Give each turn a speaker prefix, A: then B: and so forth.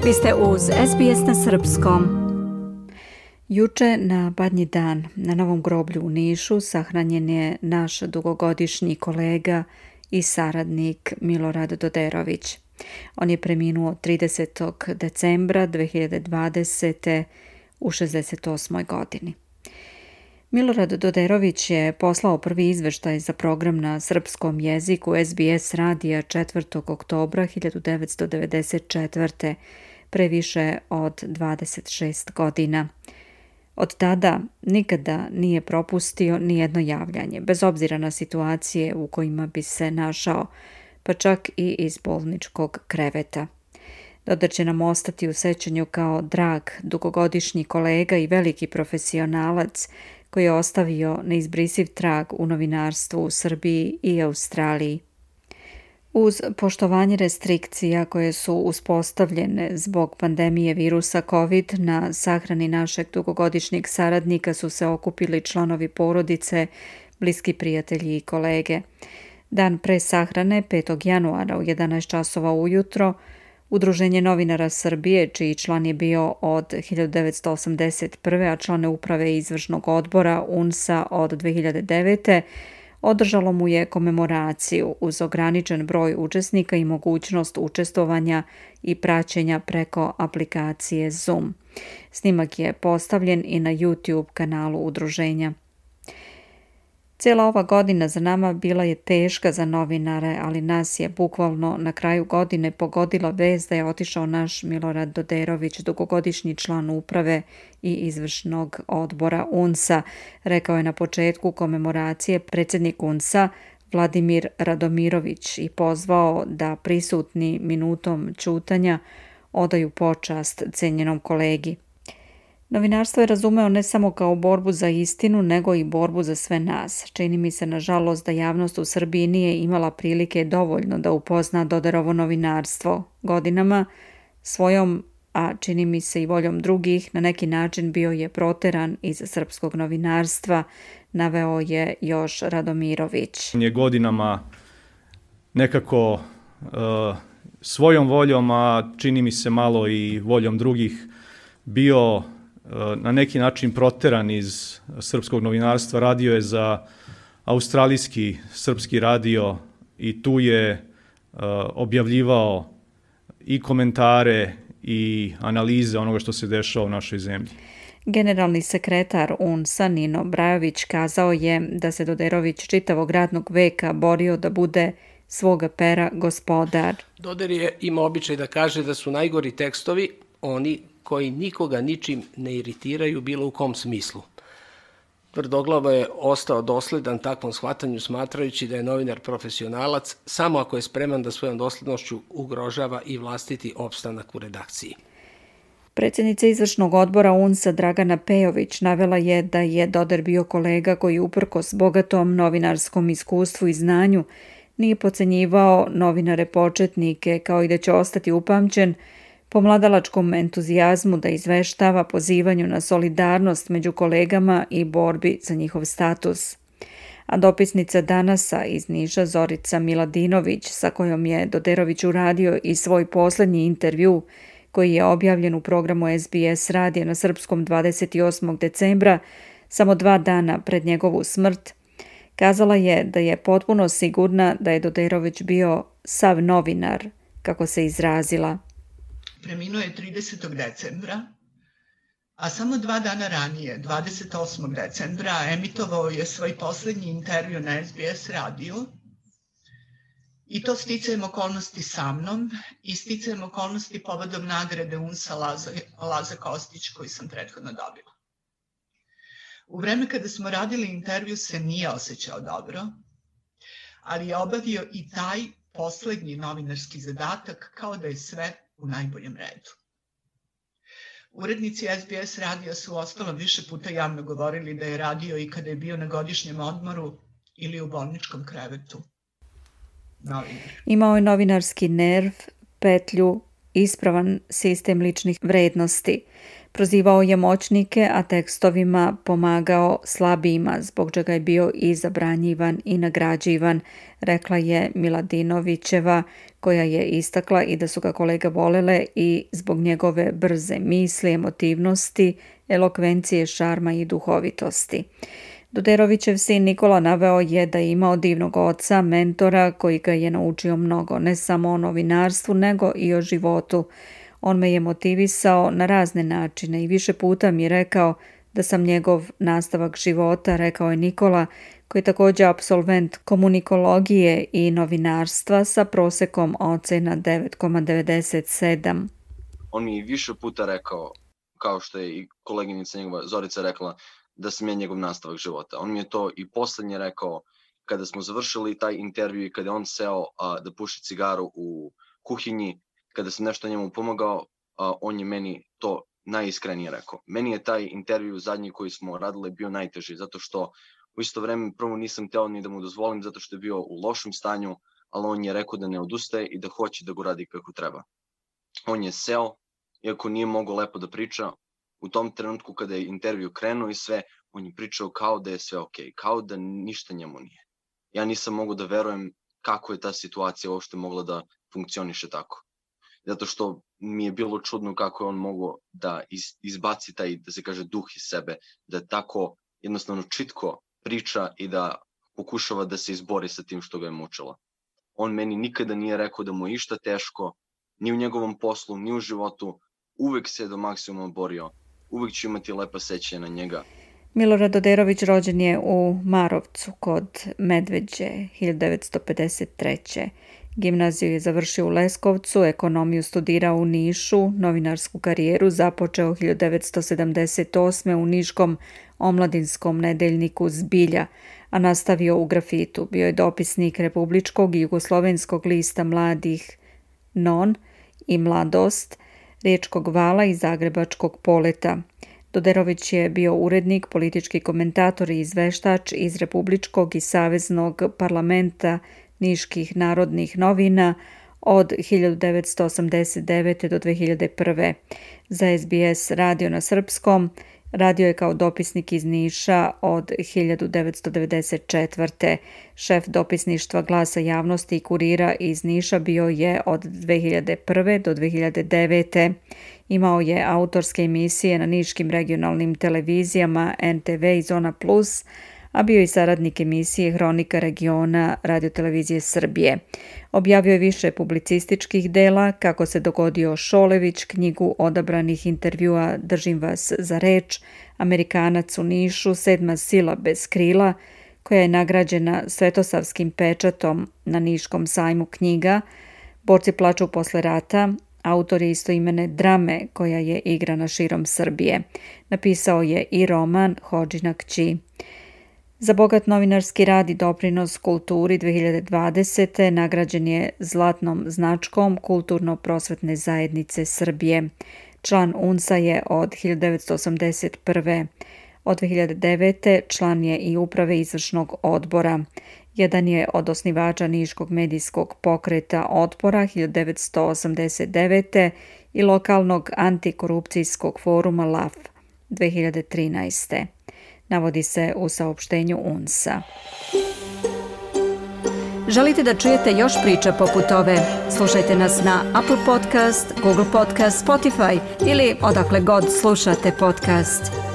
A: Vi ste uz SBS na srpskom. Juče na Badnji dan na Novom groblju u Nišu sahranjen je naš dugogodišnji kolega i saradnik Milorad Doderović. On je preminuo 30. decembra 2020. u 68. godini. Milorad Doderović je poslao prvi izveštaj za program na srpskom jeziku SBS radija 4. oktobra 1994. pre više od 26 godina. Od tada nikada nije propustio nijedno javljanje, bez obzira na situacije u kojima bi se našao, pa čak i iz bolničkog kreveta. Dodar će nam ostati u sećanju kao drag, dugogodišnji kolega i veliki profesionalac koji je ostavio neizbrisiv trag u novinarstvu u Srbiji i Australiji. Uz poštovanje restrikcija koje su uspostavljene zbog pandemije virusa COVID, na sahrani našeg dugogodišnjeg saradnika su se okupili članovi porodice, bliski prijatelji i kolege. Dan pre sahrane, 5. januara u 11 časova ujutro, Udruženje novinara Srbije, čiji član je bio od 1981. a član uprave izvršnog odbora UNS-a od 2009. održalo mu je komemoraciju uz ograničen broj učesnika i mogućnost učestvovanja i praćenja preko aplikacije Zoom. Snimak je postavljen i na YouTube kanalu udruženja. Cijela ova godina za nama bila je teška za novinare, ali nas je bukvalno na kraju godine pogodila vest da je otišao naš Milorad Doderović, dugogodišnji član uprave i izvršnog odbora UNS-a, rekao je na početku komemoracije predsjednik UNS-a Vladimir Radomirović i pozvao da prisutni minutom ćutanja odaju počast cenjenom kolegi. Novinarstvo je razumeo ne samo kao borbu za istinu, nego i borbu za sve nas. Čini mi se, nažalost, da javnost u Srbiji nije imala prilike dovoljno da upozna Doderovo novinarstvo. Godinama svojom, a čini mi se i voljom drugih, na neki način bio je proteran iz srpskog novinarstva, naveo je još Radomirović.
B: On je godinama nekako svojom voljom, a čini mi se malo i voljom drugih, bio na neki način proteran iz srpskog novinarstva. Radio je za australijski srpski radio i tu je objavljivao i komentare i analize onoga što se dešava u našoj zemlji.
A: Generalni sekretar UNS-a Nino Brajović kazao je da se Doderović čitavog radnog veka borio da bude svoga pera gospodar.
C: Doder je imao običaj da kaže da su najgori tekstovi oni koji nikoga ničim ne iritiraju bilo u kom smislu. Tvrdoglavo je ostao dosledan takvom shvatanju, smatrajući da je novinar profesionalac samo ako je spreman da svojom doslednošću ugrožava i vlastiti opstanak u redakciji.
A: Predsjednica izvršnog odbora UNS-a Dragana Pejović navela je da je Doder bio kolega koji uprkos bogatom novinarskom iskustvu i znanju nije podcenjivao novinare početnike, kao i da će ostati upamćen po mladalačkom entuzijazmu da izveštava, pozivanju na solidarnost među kolegama i borbi za njihov status. A dopisnica Danasa iz Niša Zorica Miladinović, sa kojom je Doderović uradio i svoj posljednji intervju, koji je objavljen u programu SBS radija na srpskom 28. decembra, samo 2 dana pred njegovu smrt, kazala je da je potpuno sigurna da je Doderović bio sav novinar, kako se izrazila.
D: Preminuo je 30. decembra, a samo 2 dana ranije, 28. decembra, emitovao je svoj posljednji intervju na SBS radiju. I to sticajem okolnosti sa mnom i sticajem okolnosti povodom nagrade UNS-a Laza Kostić koju sam prethodno dobila. U vreme kada smo radili intervju se nije osjećao dobro, ali je obavio i taj posljednji novinarski zadatak kao da je sve u najboljem redu. Urednici SBS radija su uostalom više puta javno govorili da je radio i kada je bio na godišnjem odmoru ili u bolničkom krevetu.
A: Imao je novinarski nerv, petlju, ispravan sistem ličnih vrednosti. Prozivao je moćnike, a tekstovima pomagao slabijima, zbog čega je bio i zabranjivan i nagrađivan, rekla je Miladinovićeva, koja je istakla i da su ga kolege volele i zbog njegove brze misli, emotivnosti, elokvencije, šarma i duhovitosti. Doderovićev sin Nikola naveo je da je imao divnog oca, mentora koji ga je naučio mnogo, ne samo o novinarstvu, nego i o životu. On me je motivisao na razne načine i više puta mi je rekao da sam njegov nastavak života, rekao je Nikola, koji je također apsolvent komunikologije i novinarstva sa prosekom ocena 9,97.
E: On mi je više puta rekao, kao što je i koleginica njegova Zorica rekla, da sam ja njegov nastavak života. On mi je to i poslednje rekao kada smo završili taj intervju i kada je on seo da puši cigaru u kuhinji, kada sam nešto njemu pomogao, on je meni to najiskrenije rekao. Meni je taj intervju zadnji koji smo radili bio najteži, zato što u isto vreme prvo nisam teo ni da mu dozvolim zato što je bio u lošem stanju, ali on je rekao da ne odustaje i da hoće da go radi kako treba. On je seo, iako nije mogao lepo da priča, u tom trenutku kada je intervju krenuo i sve, on je pričao kao da je sve okej, kao da ništa njemu nije. Ja nisam mogao da verujem kako je ta situacija uopšte mogla da funkcioniše tako. Zato što mi je bilo čudno kako je on mogao da izbaci taj, da se kaže, duh iz sebe, da tako jednostavno čitko priča i da pokušava da se izbori sa tim što ga je mučilo. On meni nikada nije rekao da mu je išta teško, ni u njegovom poslu, ni u životu, uvek se do maksimuma borio, uvek ću imati lepa sećanja na njega.
A: Milorad Doderović rođen je u Marovcu kod Medveđe 1953. Gimnaziju je završio u Leskovcu, ekonomiju studirao u Nišu, novinarsku karijeru započeo 1978. u niškom omladinskom nedeljniku Zbilja, a nastavio u Grafitu. Bio je dopisnik republičkog i jugoslovenskog lista mladih Non i Mladost, Riječkog vala i Zagrebačkog Poleta. Doderović je bio urednik, politički komentator i izveštač iz Republičkog i Saveznog parlamenta Niških narodnih novina od 1989. do 2001. Za SBS radio na srpskom, radio je kao dopisnik iz Niša od 1994. Šef dopisništva Glasa javnosti i Kurira iz Niša bio je od 2001. do 2009. Imao je autorske emisije na niškim regionalnim televizijama NTV i Zona Plus, a bio i saradnik emisije Hronika regiona Radiotelevizije Srbije. Objavio je više publicističkih dela, Kako se dogodio Šolević, knjigu odabranih intervjua Držim vas za reč, Amerikanac u Nišu, Sedma sila bez krila, koja je nagrađena Svetosavskim pečatom na Niškom sajmu knjiga, Borci plaču posle rata, autor je istoimene drame koja je igrana širom Srbije. Napisao je i roman Hodžina kći. Za bogat novinarski rad i doprinos kulturi 2020. nagrađen je zlatnom značkom Kulturno-prosvetne zajednice Srbije. Član UNS-a je od 1981. Od 2009. član je i uprave izvršnog odbora. Jedan je od osnivača Niškog medijskog pokreta Otpora 1989. i lokalnog antikorupcijskog foruma LAF 2013. Navodi se u saopštenju UNS-a. Želite da čujete još priča poput ove? Slušajte nas na Apple Podcast, Google Podcast, Spotify ili odakle god slušate podcast.